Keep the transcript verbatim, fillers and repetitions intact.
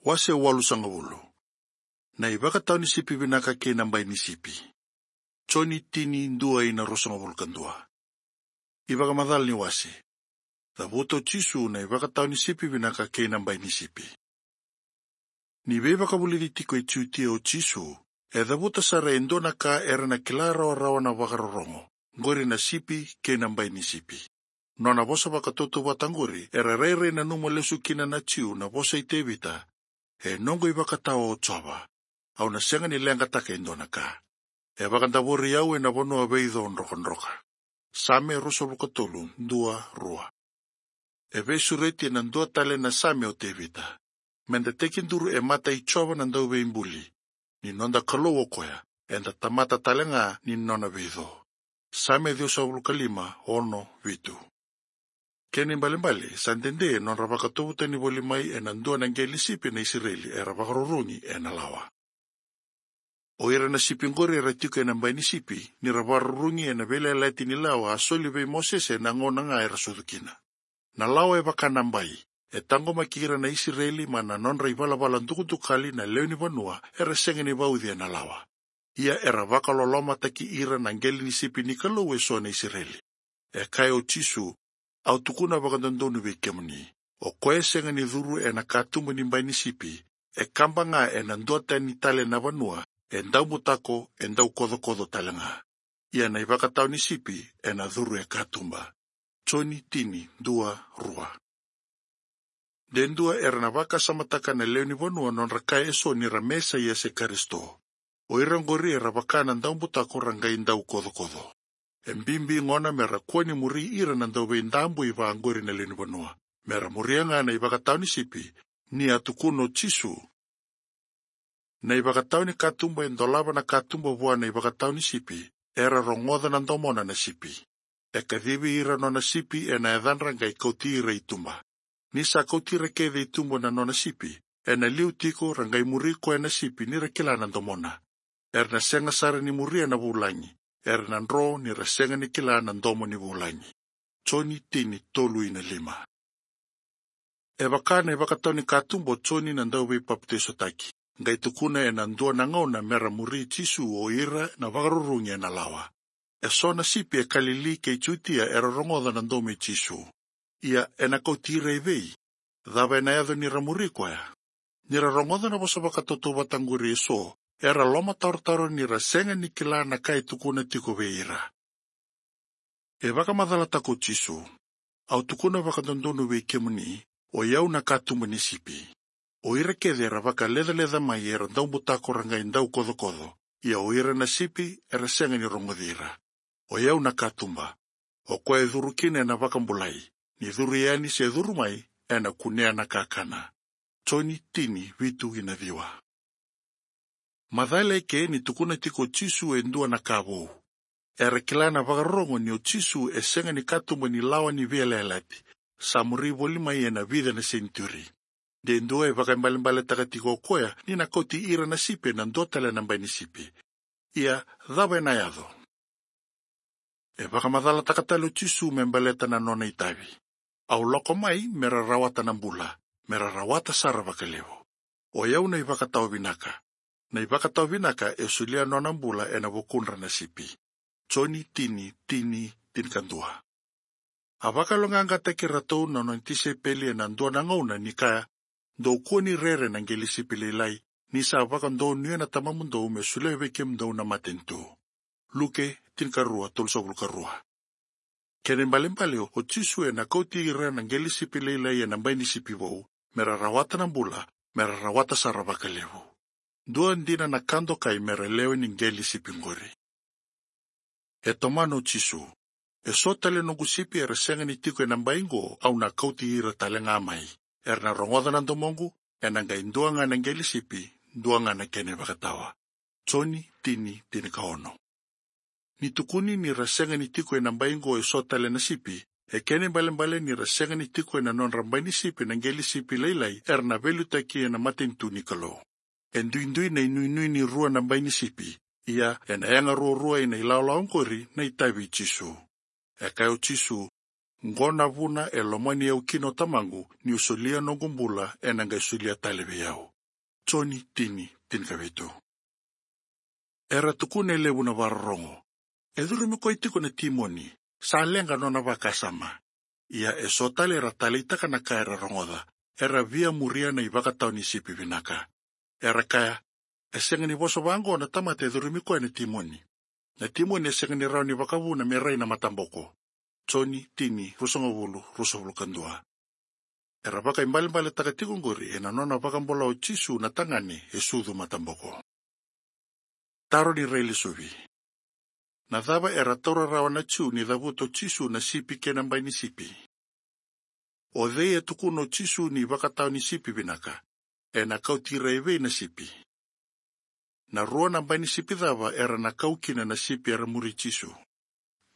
Wase walusagavulu. Na ivakatawa ni sipi vinaka kei na bai ni sipi. Joni tini, dua ina ruasagavulu ka dua. Ivakamacala ni wase. Cavuta o Jisu na ivakatawa ni sipi vinaka kei na bai ni sipi. Ni veivakavulici tiko e Jutia o Jisu, e cavuta sara e dua na ka era na kila rawarawa na vakarorogo, qori na sipi kei na bai ni sipi. Nona vosa vakatautauvata qori era rairai nanuma lesu kina na Jiu na vosa i Tevita: E noqu ivakatawa o Jiova, au na sega ni leqataka e dua na ka. E vakadavori au ena vanua veico drokadroka. Same ruasagavulu ka tolu, dua, rua. E veisureti ena dua tale na same o Tevita. Meda tekiduru e mata i Jiova na Dauveibuli, ni noda Kalou o koya, eda tamata tale ga ni nona veico. Same ciwasagavulu ka lima, ono, vitu. Kena ibalebale, sa dede nodra vakatuvutani voli mai ena dua na qele ni sipi na Isireli era vakarurugi ena lawa. O ira na sipi qori era tiko ena bai ni sipi, ni ra vakarurugi ena veiyalayalati ni lawa a soli vei Mosese ena gauna ga era sucu kina. Na lawa e vaka na bai, e taqomaki ira na Isireli mai na nodra ivalavala dukadukali na lewe ni vanua era sega ni vauci ena lawa. Ia era vakalolomataki ira na qele ni sipi ni Kalou eso na Isireli. E kaya o Jisu: Au tukuna vakadodonu vei kemuni, o koya e sega ni curu ena katuba ni bai ni sipi, e kaba ga ena dua tani tale na vanua, e daubutako, e daukocokoco tale ga. Ia na ivakatawa ni sipi ena curu e katuba. Joni tini, dua, rua. De dua era na vakasamataka na lewe ni vanua nodra kaya eso ni ra Mesaia se Karisito. O ira qori era vaka na daubutako ra qai daukocokoco. E bibi gona mera kua ni muri ira na dauveidabui vaqori na lewe ni vanua, mera muria ga na ivakatawa ni sipi, ni a tukuna o Jisu: Na ivakatawa ni katuba e dolava na katuba vua na ivakatawa ni sipi, era rogoca na domona na sipi. E kacivi ira nona sipi ena yacadra qai kauti ira i tuba. Ni sa kauti ira kece i tuba na nona sipi, ena liu tiko ra qai muri koya na sipi ni ra kila na domona. Era na sega sara ni muria na vulagi, era na dro ni ra sega ni kila na domo ni vulagi. Joni tini, tolu ina lima. E vaka na ivakatawa ni katuba o Joni na Dauveipapitaisotaki, qai tukuna ena dua na gauna mera muri Jisu o ira na vakarurugi ena lawa. Eso na sipi e Kalili kei Jutia era rogoca na domo i Jisu. Ia ena kauti ira i vei? Cava ena yaco ni ra muri koya? Ni ra rogoca na vosa vakatautauvata qori eso, era lomatarotaro ni ra sega ni kila na ka e tukuna tiko vei ira. E vakamacalataka o Jisu: Au tukuna vakadodonu vei kemuni, o i au na katuba ni sipi. O ira kece era vakalecaleca mai era daubutako ra qai daukocokoco, ia o ira na sipi era sega ni rogoci ira. O i au na katuba. O koya e curu kina ena vakabulai, ni curu yani se curu mai, ena kunea na kakana. Joni tini, vitu ina ciwa. Macala eke ni tukuna tiko o Jisu e dua na ka vou. Era kila na vakarorogo ni o Jisu e sega ni katuba ni lawa ni veiyalayalati, sa muri voli mai ena vica na senituri. De dua e vakaibalebaletaka tiko o koya ni na kauti ira na sipi ena dua tale na bai ni sipi. Ia, cava ena yaco? E vakamacalataka tale o Jisu me baleta na nona itavi: Au lako mai mera rawata na bula, mera rawata sara vakalevu. O i au na ivakatawa vinaka. Na ivakatawa vinaka e solia nona bula ena vukudra na sipi. Joni tini, tini, tinikadua. A vakayaloqaqataki iratou na nona tisaipeli ena dua na gauna ni kaya: Dou kua ni rere na qele ni sipi lailai, ni sa vakadonuya na Tamamudou me solia vei kemudou na matanitu. Luke tinikarua, tolusagavulu ka rua. Kena ibalebale, o Jisu ena kauti ira na qele ni sipi lailai ena bai ni sipi vou, mera rawata na bula, mera rawata sara vakalevu. Dua dina na ka dokai mera lewe ni qele ni sipi qori. E tomana o Jisu: Eso tale noqu sipi era sega ni tiko ena bai qo, au na kauti ira tale ga mai. Era na rogoca na domoqu, ena qai dua ga na qele ni sipi, dua ga na kena ivakatawa. Joni tini, tinikaono. Ni tukuni ni ra sega ni tiko ena bai qo eso tale na sipi, e kena ibalebale ni ra sega ni tiko ena nodra bai ni sipi na qele ni sipi lailai era na veiliutaki ena matanitu ni Kalou. E duidui na inuinui ni rua na bai ni sipi, ia ena yaga ruarua ina ilawalawa qori na itavi i Jisu. E kaya o Jisu: Qo na vuna e lomani au kina o Tamaqu, niu solia noqu bula, ena qai solia tale vei au. Joni tini, tinikavitu. Era tukuna e levu na vakarorogo, "E curumi koya tiko na timoni, sa leqa nona vakasama." Ia e so tale era taleitaka na ka era rogoca, era via muria na ivakatawa ni sipi vinaka. Era kaya, "E sega ni vosa vaqo na tamata e curumi koya na timoni. Na timoni e sega ni rawa ni vakavuna me rai na mataboko." Joni tini, ruasagavulu, ruasagavulu ka dua. Era vakaibalebaletaka tiko oqori ena nona vakabula o Jisu na tagane e sucu mataboko. Taro ni railesuvi. Na cava era taura rawa na Jiu ni cavuta o Jisu na sipi kei na bai ni sipi? O cei e tukuna o Jisu ni vakatawa ni sipi vinaka? Ena kauti ira e vei na sipi? Na rua na bai ni sipi cava era na kau kina na sipi era muri Jisu?